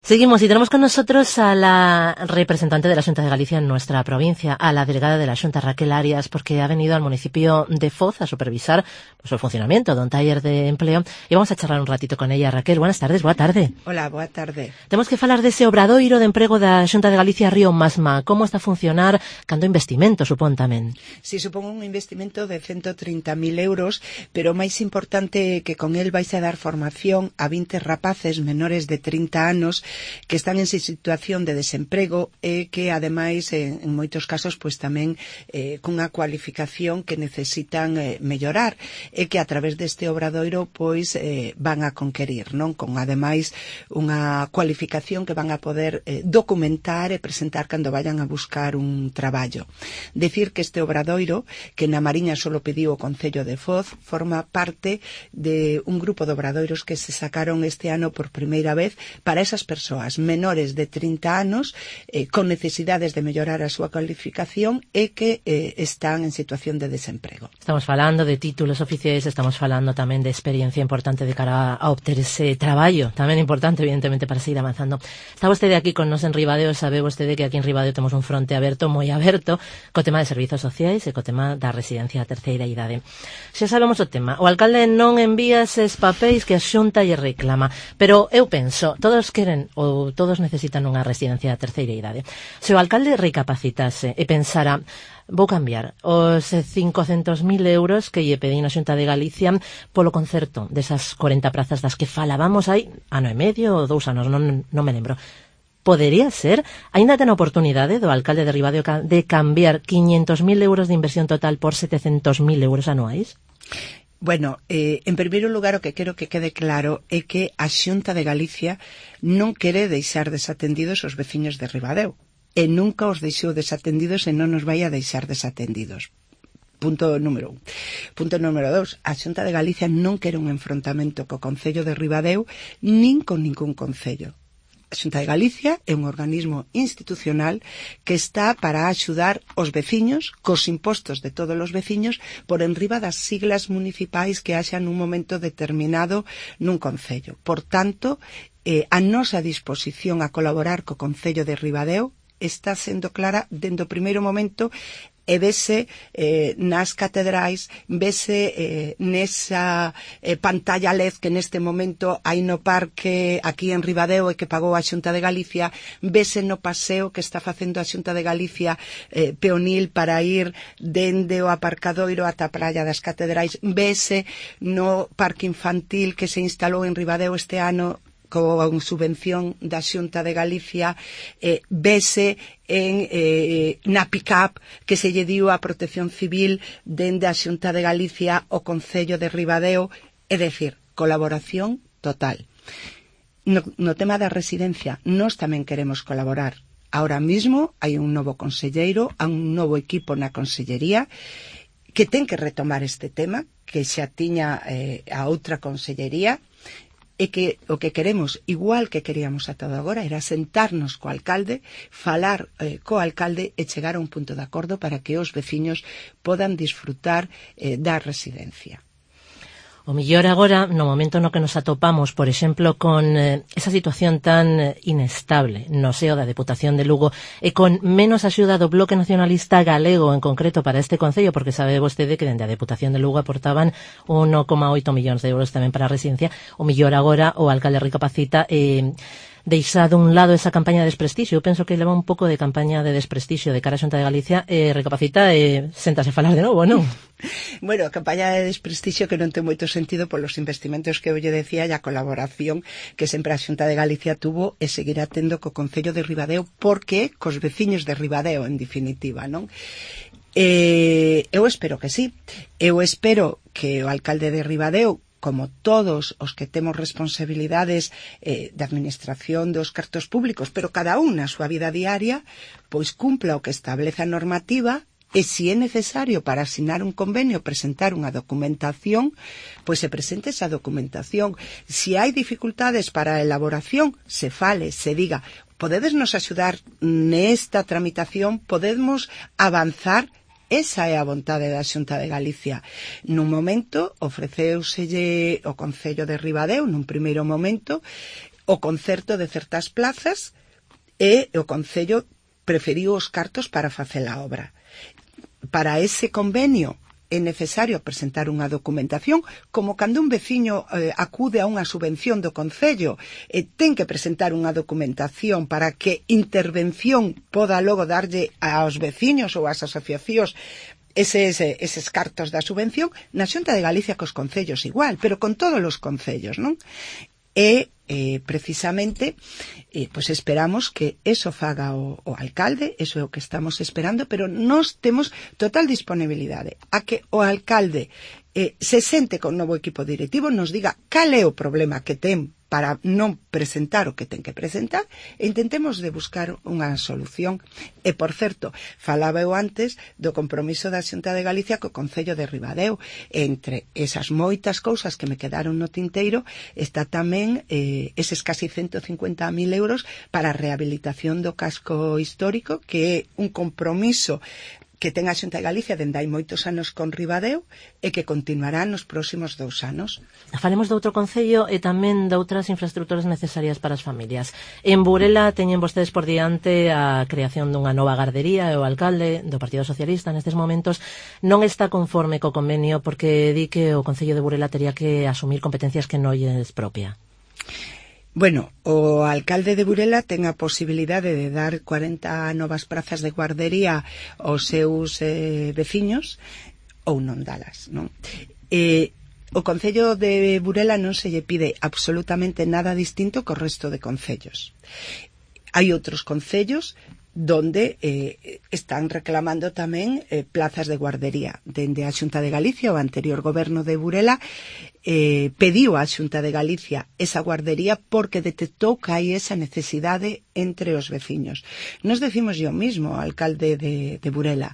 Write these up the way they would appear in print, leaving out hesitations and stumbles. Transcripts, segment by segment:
Seguimos y tenemos con nosotros a la representante de la Xunta de Galicia en nuestra provincia, a la delegada de la Xunta, Raquel Arias, porque ha venido al municipio de Foz a supervisar pues, el funcionamiento de un taller de empleo e vamos a charlar un ratito con ella. Raquel, buenas tardes, boa tarde. Hola, boa tarde. Temos que falar dese obradoiro de emprego da Xunta de Galicia Río Masma. Como está a funcionar? Cando investimento, supón tamén? Si, supón un investimento de 130.000 euros, pero o máis importante é que con el vais a dar formación a 20 rapaces menores de 30 anos que están en situación de desemprego e que, ademais, en moitos casos, pois tamén cunha cualificación que necesitan mellorar e que a través deste obradoiro pois van a conquerir, non? Con, ademais, unha cualificación que van a poder documentar e presentar cando vayan a buscar un traballo. Decir que este obradoiro, que na Mariña solo pediu o Concello de Foz, forma parte de un grupo de obradoiros que se sacaron este ano por primeira vez para esas persoas menores de 30 anos con necesidades de mellorar a súa cualificación e que están en situación de desemprego. Estamos falando de títulos oficiais, estamos falando tamén de experiencia importante de cara a obter ese traballo, tamén importante evidentemente para seguir avanzando. Está vostede aquí con nos en Ribadeo, sabe vostede que aquí en Ribadeo temos un fronte aberto, moi aberto, co tema de servizos sociais e co tema da residencia a terceira idade. Xa sabemos o tema, o alcalde non envía eses papéis que a Xunta lle reclama, pero eu penso, todos queren ou todos necesitan unha residencia a terceira idade. Se o alcalde recapacitase e pensara, vou cambiar os 500.000 euros que lle pedín a Xunta de Galicia polo concerto desas 40 prazas das que falábamos hai ano e medio ou 2 anos, non me lembro. Podería ser? Ainda ten a oportunidade do alcalde de Ribadeo de cambiar 500.000 euros de inversión total por 700.000 euros anuais? Bueno, en primeiro lugar o que quero que quede claro é que a Xunta de Galicia non quere deixar desatendidos os veciños de Ribadeo e nunca os deixou desatendidos e non nos vai a deixar desatendidos. Punto número 1. Punto número 2. A Xunta de Galicia non quere un enfrontamento co Concello de Ribadeo nin con ningún concello. A Xunta de Galicia é un organismo institucional que está para axudar os veciños cos impostos de todos os veciños por enriba das siglas municipais que haxa nun momento determinado nun concello. Por tanto, a nosa disposición a colaborar co Concello de Ribadeo está sendo clara dende o primeiro momento e vese nas catedrais, vese nesa pantalla LED que neste momento hai no parque aquí en Ribadeo e que pagou a Xunta de Galicia, vese no paseo que está facendo a Xunta de Galicia peonil para ir dende o aparcadoiro ata a praia das catedrais, vese no parque infantil que se instalou en Ribadeo este ano con subvención da Xunta de Galicia, vese na pick-up que se lle diu a Protección Civil dende a Xunta de Galicia o Concello de Ribadeo, é dicir, colaboración total. No tema da residencia, nós tamén queremos colaborar. Ahora mismo hai un novo conselleiro, hai un novo equipo na consellería que ten que retomar este tema, que xa tiña a outra consellería, e que o que queremos, igual que queríamos ata agora, era sentarnos co alcalde, falar co alcalde e chegar a un punto de acordo para que os veciños podan disfrutar da residencia. O mellor agora, no momento no que nos atopamos, por exemplo, con esa situación tan inestable no seo da Deputación de Lugo e con menos axuda do Bloque Nacionalista Galego en concreto para este concello, porque sabe vostede que dende a Deputación de Lugo aportaban 1,8 millóns de euros tamén para a residencia, o mellor agora o alcalde recapacita deixa dun lado esa campaña de desprestixio. Eu penso que leva un pouco de campaña de desprestixio de cara a Xunta de Galicia recapacita e séntase a falar de novo, non? Bueno, a campaña de desprestixio que non ten moito sentido polos investimentos que eu lle decía e a colaboración que sempre a Xunta de Galicia tuvo e seguirá tendo co Concello de Ribadeo, porque cos veciños de Ribadeo, en definitiva, non? Eu espero que sí. Eu espero que o alcalde de Ribadeo, como todos os que temos responsabilidades de administración dos cartos públicos, pero cada un na súa vida diaria, pois cumpla o que establece a normativa e se é necesario para asinar un convenio presentar unha documentación, pois se presente esa documentación. Se hai dificultades para a elaboración, se fale, se diga, podedes nos axudar nesta tramitación, podemos avanzar. Esa é a vontade da Xunta de Galicia. Nun momento ofreceuselle o Concello de Ribadeo, nun primeiro momento, o concerto de certas plazas e o Concello preferiu os cartos para facer a obra. Para ese convenio é necesario presentar unha documentación, como cando un veciño acude a unha subvención do Concello, ten que presentar unha documentación para que intervención poda logo darlle aos veciños ou ás asociacións eses cartos da subvención. Na Xunta de Galicia cos concellos igual, pero con todos os concellos, non? E precisamente pois esperamos que eso faga o alcalde, eso é o que estamos esperando, pero nós temos total disponibilidade a que o alcalde se sente con novo equipo directivo, nos diga cal é o problema que ten para non presentar o que ten que presentar e intentemos de buscar unha solución. E, por certo, falaba eu antes do compromiso da Xunta de Galicia co Concello de Ribadeo. Entre esas moitas cousas que me quedaron no tinteiro está tamén eses casi 150.000 euros para a rehabilitación do casco histórico, que é un compromiso que ten a Xunta de Galicia dende hai moitos anos con Ribadeo e que continuará nos próximos 2 anos. Falemos de outro concello e tamén de outras infraestructuras necesarias para as familias. En Burela teñen vostedes por diante a creación dunha nova gardería e o alcalde do Partido Socialista nestes momentos non está conforme co convenio porque di que o Concello de Burela tería que asumir competencias que non lle es propia. Bueno, o alcalde de Burela ten a posibilidade de dar 40 novas prazas de guardería aos seus veciños ou non dalas, non? O Concello de Burela non se lle pide absolutamente nada distinto co resto de concellos. Hai outros concellos donde están reclamando tamén plazas de guardería. Dende a Xunta de Galicia, o anterior goberno de Burela pediu á Xunta de Galicia esa guardería porque detectou que hai esa necesidade entre os veciños. Nos decimos yo mismo, alcalde de Burela,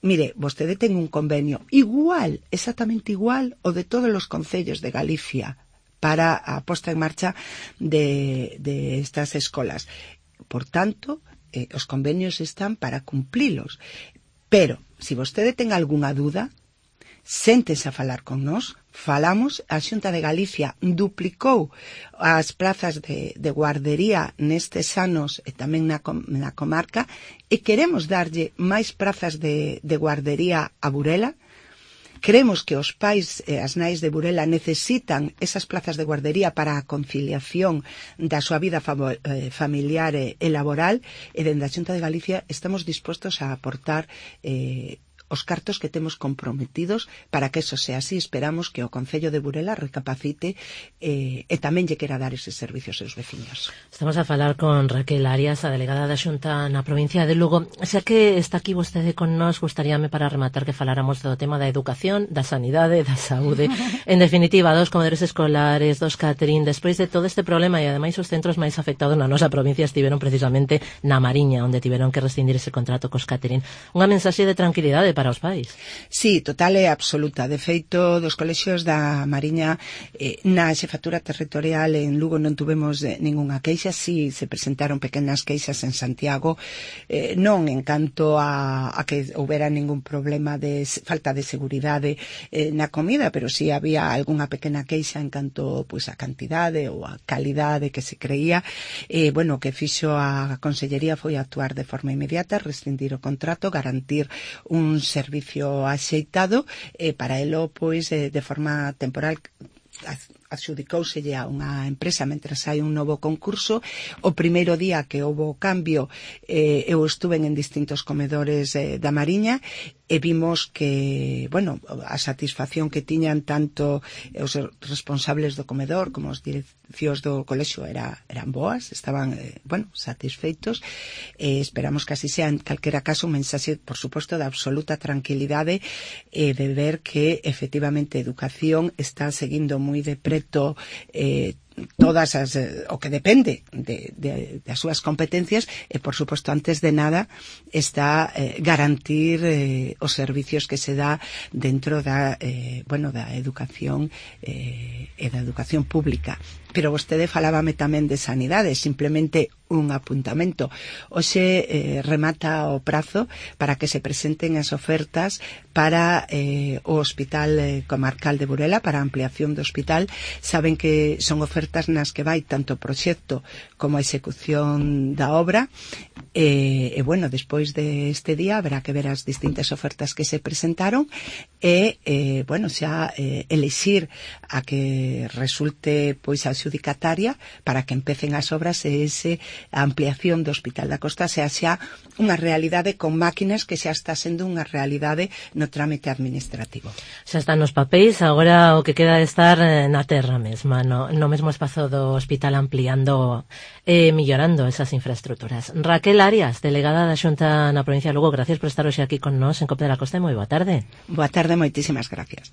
mire, vostede ten un convenio igual, exactamente igual, o de todos os concellos de Galicia para a posta en marcha de estas escolas. Por tanto, os convenios están para cumplilos. Pero, se vostede ten algunha dúda, séntese a falar con nós, falamos. A Xunta de Galicia duplicou as plazas de guardería nestes anos e tamén na comarca e queremos darlle máis plazas de guardería a Burela. Creemos que os pais e as nais de Burela necesitan esas plazas de guardería para a conciliación da súa vida familiar e laboral, e dende a Xunta de Galicia estamos dispostos a aportar os cartos que temos comprometidos para que eso sea así. Esperamos que o Concello de Burela recapacite e tamén lle quera dar eses servicios aos veciños. Estamos a falar con Raquel Arias, a delegada da Xunta na provincia de Lugo. Xa que está aquí vostede con nós, gustaríame para rematar que faláramos do tema da educación, da sanidade, da saúde. En definitiva, dos comedores escolares, dos catering. Despois de todo este problema e ademais os centros máis afectados na nosa provincia estiveron precisamente na Mariña, onde tiveron que rescindir ese contrato cos catering. Unha mensaxe de tranquilidade para os pais. Sí, total e absoluta. De feito, dos colexios da Mariña na xefatura territorial en Lugo non tuvemos ningunha queixa. Sí, se presentaron pequenas queixas en Santiago, non en canto a que houbera ningún problema de falta de seguridade na comida, pero sí había algunha pequena queixa en canto pois a cantidade ou a calidade que se creía. Bueno, o que fixo a Consellería foi actuar de forma inmediata, rescindir o contrato, garantir un servicio axeitado, para elo, pois, de forma temporal adxudicóuselle a unha empresa mentras hai un novo concurso. O primeiro día que houve o cambio, eu estuve en distintos comedores da Mariña e vimos que, bueno, a satisfacción que tiñan tanto os responsables do comedor como os direccións do colexio eran boas, estaban, bueno, satisfeitos. Esperamos que así sea. En calquera caso, un mensaxe, por suposto, de absoluta tranquilidade de ver que, efectivamente, a educación está seguindo moi de preto todas as, o que depende das súas competencias e, por suposto, antes de nada está garantir os servicios que se dá dentro da educación e da educación pública. Pero vostede falábame tamén de sanidade. Simplemente un apuntamento. Hoxe remata o prazo para que se presenten as ofertas para o Hospital Comarcal de Burela, para a ampliación do hospital. Saben que son ofertas nas que vai tanto o proxecto como a execución da obra, e bueno, despois deste día haberá que ver as distintas ofertas que se presentaron e, bueno, xa elixir a que resulte pois a adxudicataria para que empecen as obras e a ampliación do Hospital da Costa sea xa unha realidade con máquinas, que xa está sendo unha realidade no trámite administrativo. Xa están nos papéis, agora o que queda de estar na terra mesma, no mesmo espazo do hospital, ampliando e millorando esas infraestructuras. Raquel Arias, delegada da Xunta na provincia de Lugo, gracias por estar hoxe aquí con nós en COPE de la Costa e moi boa tarde. Boa tarde, moitísimas gracias.